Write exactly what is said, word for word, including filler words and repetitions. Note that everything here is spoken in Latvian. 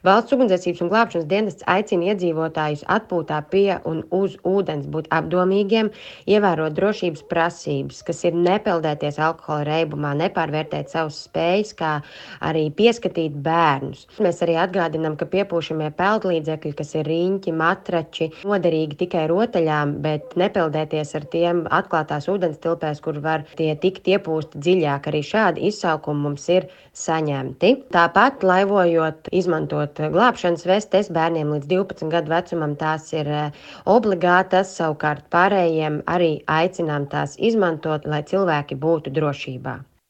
Valsts ugunsdzēsības un glābšanas dienests aicina iedzīvotājus atpūtā pie un uz ūdens būt apdomīgiem, ievērot drošības prasības, kas ir nepeldēties alkohola reibumā, nepārvērtēt savas spējas, kā arī pieskatīt bērnus. Mēs arī atgādinām, ka piepūšamie peldlīdzekļi, kas ir riņķi, matrači, noderīgi tikai rotaļām, bet nepeldēties ar tiem atklātās ūdens tilpēs, kur var tie tikt iepūsti dziļāk. Arī šādi izsaukumi mums ir saņemti. Tāpat laivojot, izmantot glābšanas vestes bērniem līdz divpadsmit gadu vecumam, tās ir obligātas, savukārt pārējiem arī aicinām tās izmantot, lai cilvēki būtu drošībā.